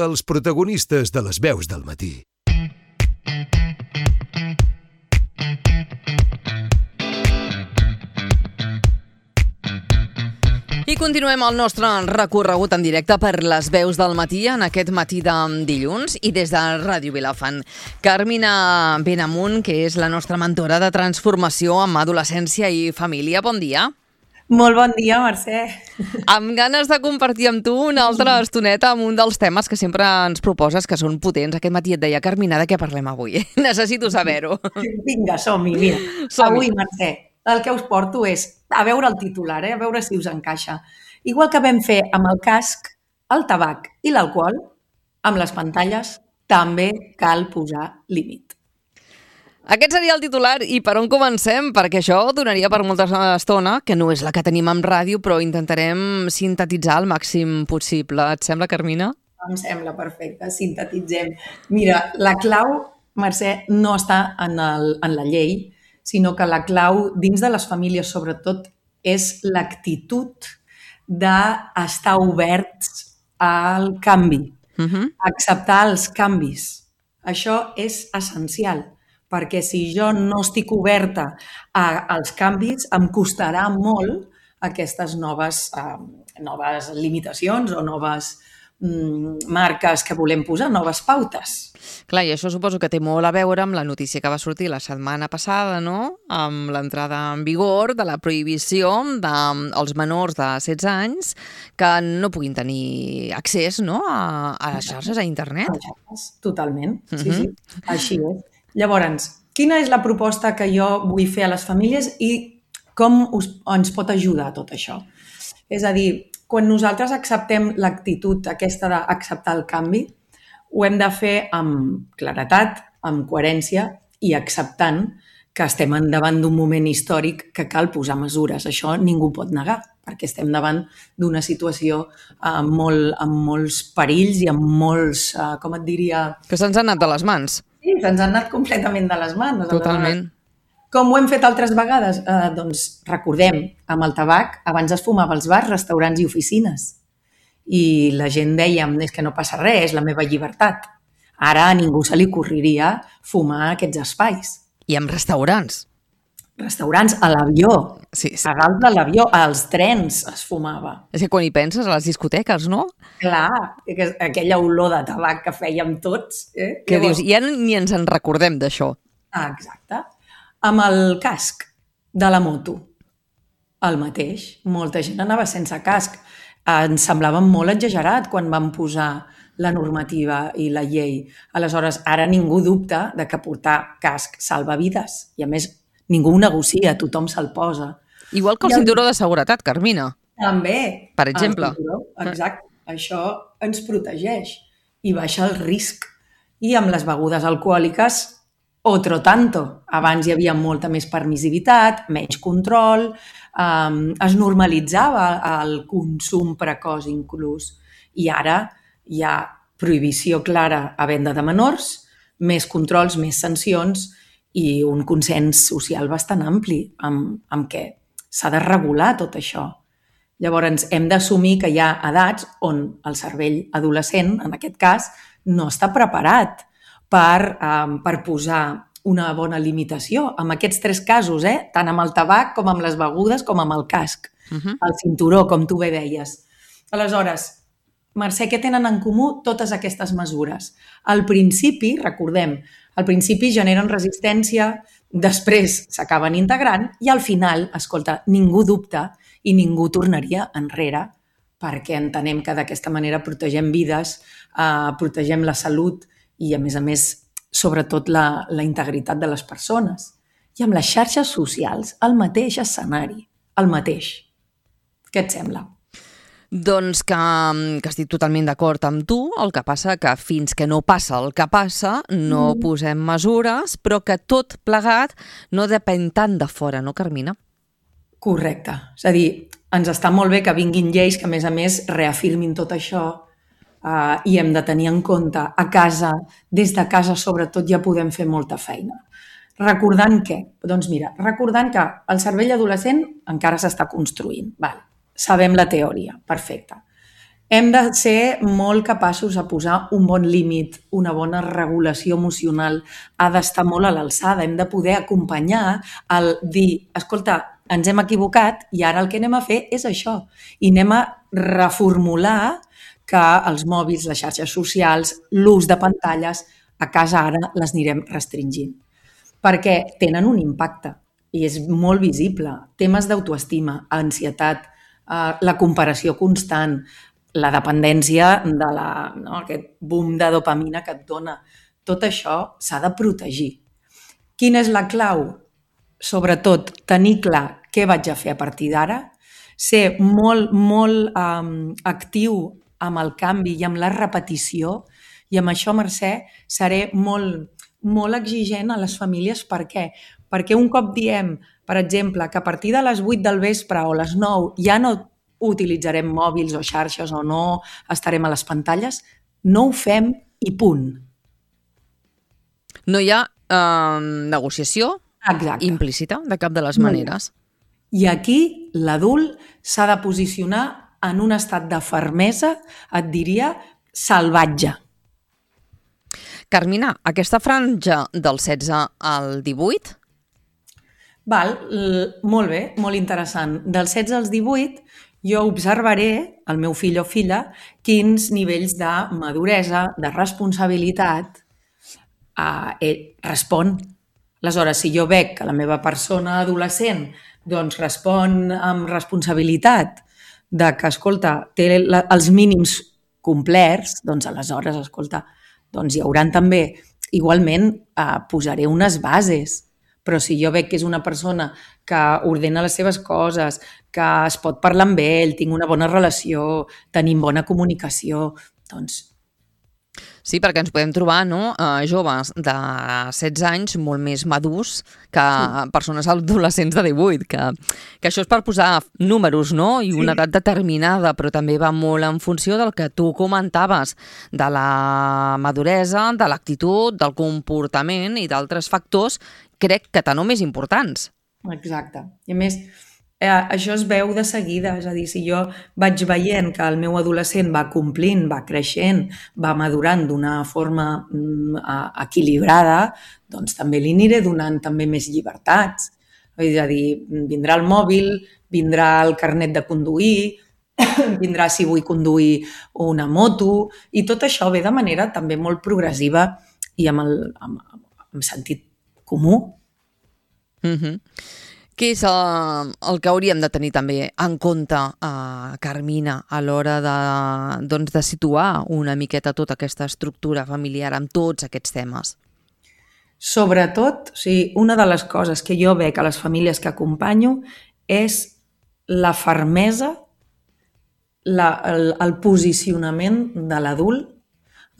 els protagonistes de les veus del matí. I continuem el nostre recorregut en directe per les veus del matí, en aquest matí de dilluns, i des de Ràdio Vilafant. Carmina Benamunt, que és la nostra mentora de transformació en adolescència i família. Bon dia. Molt bon dia, Mercè. Amb ganes de compartir amb tu una altra estoneta amb un dels temes que sempre ens proposes, que són potents. Aquest matí et deia, Carmina, de què parlem avui? Necessito saber-ho. Vinga, som-hi, mira. Avui, Mercè, el que us porto és a veure el titular, a veure si us encaixa. Igual que vam fer amb el casc, el tabac i l'alcohol, amb les pantalles també cal posar límit. Aquest seria el titular i per on comencem? Perquè això donaria per molta estona, que no és la que tenim en ràdio, però intentarem sintetitzar el màxim possible. Et sembla, Carmina? Em sembla perfecte, sintetitzem. Mira, la clau, Mercè, no està en la llei, sinó que la clau dins de les famílies, sobretot, és l'actitud d'estar oberts al canvi, acceptar els canvis. Això és essencial, perquè si jo no estic oberta als canvis, em costarà molt aquestes noves limitacions o noves marques que volem posar, noves pautes. Clar, i això suposo que té molt a veure amb la notícia que va sortir la setmana passada, no? Amb l'entrada en vigor de la prohibició dels menors de 16 anys que no puguin tenir accés, no? a les xarxes, a internet. A les xarxes, totalment, sí. Així és. Llavors, quina és la proposta que jo vull fer a les famílies i com ens pot ajudar tot això? És a dir, quan nosaltres acceptem l'actitud aquesta d'acceptar el canvi, ho hem de fer amb claretat, amb coherència i acceptant que estem davant d'un moment històric que cal posar mesures. Això ningú pot negar, perquè estem davant d'una situació amb molts perills i amb molts, com et diria... Que se'ns han anat de les mans. Sí, se'ns han anat completament de les mans. Totalment. Com ho hem fet altres vegades? Doncs recordem, amb el tabac abans es fumava als bars, restaurants i oficines. I la gent deia, és que no passa res, és la meva llibertat. Ara a ningú se li ocorreria fumar a aquests espais. I amb restaurants. Restaurants, a l'avió. Sí. A dalt de l'avió, als trens es fumava. És que quan hi penses, a les discoteques, no? Clar, aquella olor de tabac que fèiem tots. Què dius? Ja ni ens en recordem d'això. Exacte. Amb el casc de la moto, el mateix. Molta gent anava sense casc. Ens semblava molt exagerat quan vam posar la normativa i la llei. Aleshores, ara ningú dubta de que portar casc salva vides. I a més, ningú ho negocia, tothom se'l posa. Igual que el cinturó de seguretat, Carmina. També. Per exemple. Exacte. Això ens protegeix i baixa el risc. I amb les begudes alcohòliques, otro tanto. Abans hi havia molta més permissivitat, menys control, es normalitzava el consum precoç inclús. I ara hi ha prohibició clara a venda de menors, més controls, més sancions i un consens social bastant ampli amb què s'ha de regular tot això. Llavors hem d'assumir que hi ha edats on el cervell adolescent, en aquest cas, no està preparat per posar una bona limitació. En aquests 3 casos, tant amb el tabac com amb les begudes com amb el casc. El cinturó, com tu bé deies. Aleshores, Mercè, què tenen en comú totes aquestes mesures? Al principi, recordem, al principi generen resistència, després s'acaben integrant i al final, escolta, ningú dubta i ningú tornaria enrere perquè entenem que d'aquesta manera protegem vides, protegem la salut i, a més, sobretot la integritat de les persones. I amb les xarxes socials, el mateix escenari, el mateix. Què et sembla? Doncs que estic totalment d'acord amb tu, el que passa que fins que no passa el que passa no posem mesures, però que tot plegat no depèn tant de fora, no, Carmina? Correcte. És a dir, ens està molt bé que vinguin lleis que, a més, reafirmin tot això i hem de tenir en compte a casa, des de casa sobretot ja podem fer molta feina. Recordant què? Doncs mira, recordant que el cervell adolescent encara s'està construint. Vale. Sabem la teoria, perfecte. Hem de ser molt capaços de posar un bon límit, una bona regulació emocional, ha d'estar molt a l'alçada, hem de poder acompanyar el dir, escolta, ens hem equivocat i ara el que anem a fer és això. I anem a reformular que els mòbils, les xarxes socials, l'ús de pantalles, a casa ara les anirem restringint. Perquè tenen un impacte i és molt visible. Temes d'autoestima, ansietat, la comparació constant, la dependència de aquest boom de dopamina que et dona. Tot això s'ha de protegir. Quina és la clau? Sobretot, tenir clar què vaig a fer a partir d'ara, ser molt actiu amb el canvi i amb la repetició, i amb això, Mercè, seré molt exigent a les famílies. Per què? Perquè un cop diem, per exemple, que a partir de les 8 del vespre o les 9 ja no utilitzarem mòbils o xarxes o no estarem a les pantalles, no ho fem i punt. No hi ha negociació implícita de cap de les maneres. I aquí l'adult s'ha de posicionar en un estat de fermesa, et diria, salvatge. Carmina, aquesta franja del 16 al 18? Molt bé, molt interessant. Del 16 als 18 jo observaré, el meu fill o filla, quins nivells de maduresa, de responsabilitat respon. Aleshores, si jo veig que la meva persona adolescent doncs respon amb responsabilitat de que, escolta, té els mínims complerts, doncs aleshores, escolta, doncs hi hauran també, igualment, posaré unes bases. Però si jo veig que és una persona que ordena les seves coses, que es pot parlar amb ell, tinc una bona relació, tenim bona comunicació, doncs... Sí, perquè ens podem trobar joves de 16 anys molt més madurs que persones adolescents de 18, que això és per posar números, no? I una edat determinada, però també va molt en funció del que tu comentaves, de la maduresa, de l'actitud, del comportament i d'altres factors, crec que tan o més importants. Exacte. I a més, això es veu de seguida, és a dir, si jo vaig veient que el meu adolescent va complint, va creixent, va madurant d'una forma equilibrada, doncs també li aniré donant també més llibertats. És a dir, vindrà el mòbil, vindrà el carnet de conduir, vindrà si vull conduir una moto, i tot això ve de manera també molt progressiva i amb sentit comú. Què és el que hauríem de tenir també en compte, Carmina, a l'hora de situar una miqueta tota aquesta estructura familiar amb tots aquests temes? Sobretot, una de les coses que jo veig a les famílies que acompanyo és la fermesa, el posicionament de l'adult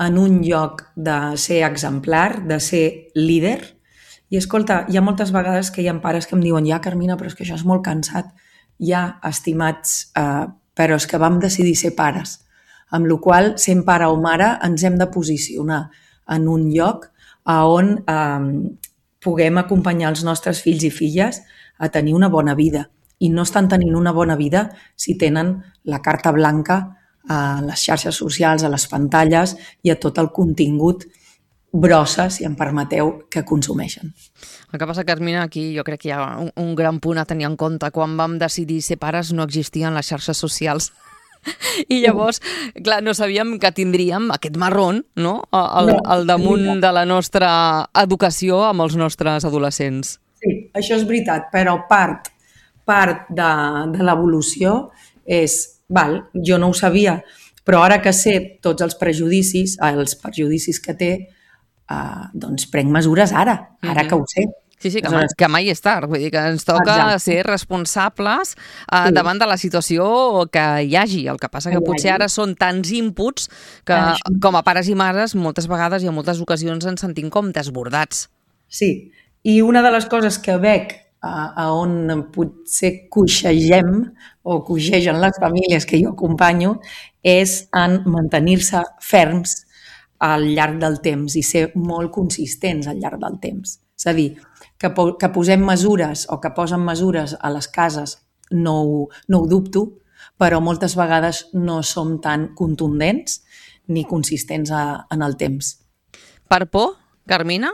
en un lloc de ser exemplar, de ser líder. I escolta, hi ha moltes vegades que hi ha pares que em diuen ja, Carmina, però és que això és molt cansat. Ja, estimats, però és que vam decidir ser pares. Amb la qual cosa, sent pare o mare, ens hem de posicionar en un lloc on puguem acompanyar els nostres fills i filles a tenir una bona vida. I no estan tenint una bona vida si tenen la carta blanca a les xarxes socials, a les pantalles i a tot el contingut brossa, si em permeteu, que consumeixen. El que passa, Carmina, aquí jo crec que hi ha un gran punt a tenir en compte. Quan vam decidir ser pares no existien les xarxes socials. I llavors, clar, no sabíem que tindríem aquest marrón, no?, al damunt de la nostra educació amb els nostres adolescents. Sí, això és veritat, però part de l'evolució és, jo no ho sabia, però ara que sé tots els perjudicis que té, doncs prenc mesures ara que ho sé. Sí, que mai és tard. Vull dir que ens toca ser responsables davant de la situació que hi hagi. El que passa que potser ara són tants inputs que com a pares i mares moltes vegades i en moltes ocasions ens sentim com desbordats. Sí, i una de les coses que veig on potser coixegem o coixegen les famílies que jo acompanyo és en mantenir-se ferms al llarg del temps i ser molt consistents al llarg del temps. És a dir, que posem mesures o que posen mesures a les cases no ho dubto, però moltes vegades no som tan contundents ni consistents en el temps. Per por, Carmina?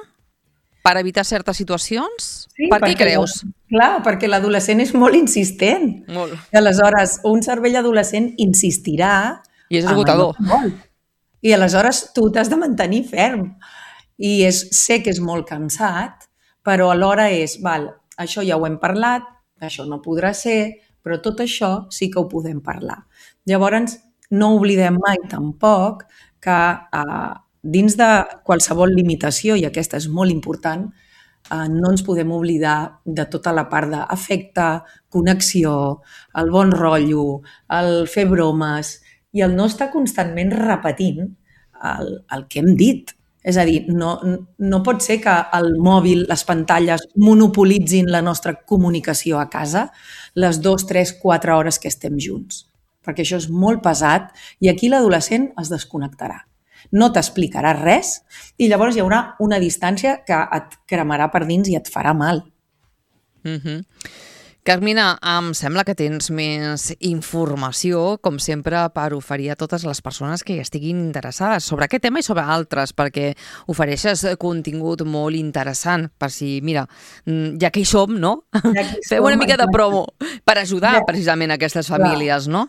Per evitar certes situacions? Sí, Per què creus? Clar, perquè l'adolescent és molt insistent. Molt. I aleshores, un cervell adolescent insistirà... I és esgotador. I aleshores tu t'has de mantenir ferm. I sé que és molt cansat, però alhora això ja ho hem parlat, això no podrà ser, però tot això sí que ho podem parlar. Llavors, no oblidem mai tampoc que dins de qualsevol limitació, i aquesta és molt important, no ens podem oblidar de tota la part d'afecte, connexió, el bon rotllo, el fer bromes i el no estar constantment repetint el que hem dit. És a dir, no pot ser que el mòbil, les pantalles, monopolitzin la nostra comunicació a casa les 2, 3, 4 hores que estem junts. Perquè això és molt pesat i aquí l'adolescent es desconnectarà. No t'explicarà res i llavors hi haurà una distància que et cremarà per dins i et farà mal. Carmina, em sembla que tens més informació, com sempre, per oferir a totes les persones que hi estiguin interessades sobre aquest tema i sobre altres, perquè ofereixes contingut molt interessant, per si, mira, ja que hi som, no? Feu una mica de promo per ajudar precisament aquestes famílies, no?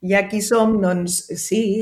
I aquí som, doncs sí,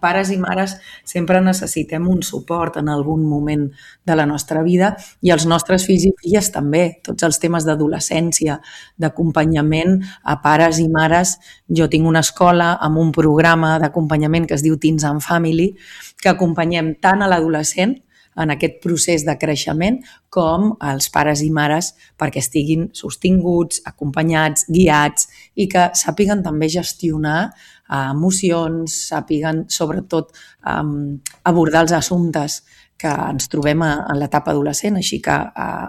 pares i mares sempre necessitem un suport en algun moment de la nostra vida i els nostres fills i filles també. Tots els temes d'adolescència, d'acompanyament a pares i mares. Jo tinc una escola amb un programa d'acompanyament que es diu Teens and Family, que acompanyem tant a l'adolescent en aquest procés de creixement com als pares i mares perquè estiguin sostinguts, acompanyats, guiats i que sàpiguen també gestionar emocions, sàpiguen sobretot abordar els assumptes que ens trobem en l'etapa adolescent, així que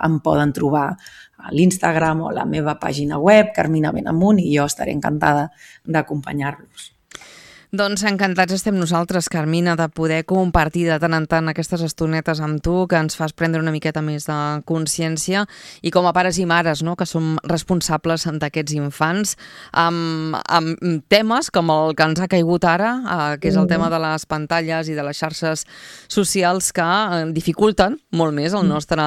em poden trobar a l'Instagram o a la meva pàgina web, Carmina Benamunt, i jo estaré encantada d'acompanyar-los. Doncs encantats estem nosaltres, Carmina, de poder compartir de tant en tant aquestes estonetes amb tu, que ens fas prendre una miqueta més de consciència i com a pares i mares, no?, que som responsables d'aquests infants, amb temes com el que ens ha caigut ara, que és el tema de les pantalles i de les xarxes socials que dificulten molt més el nostre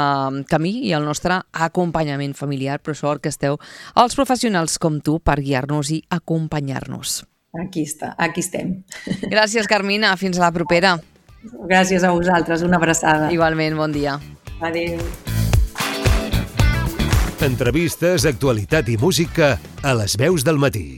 camí i el nostre acompanyament familiar, però sort que esteu els professionals com tu per guiar-nos i acompanyar-nos. Aquí estem. Gràcies, Carmina. Fins a la propera. Gràcies a vosaltres. Una abraçada. Igualment, bon dia. Adéu. Entrevistes, actualitat i música a Les Veus del Matí.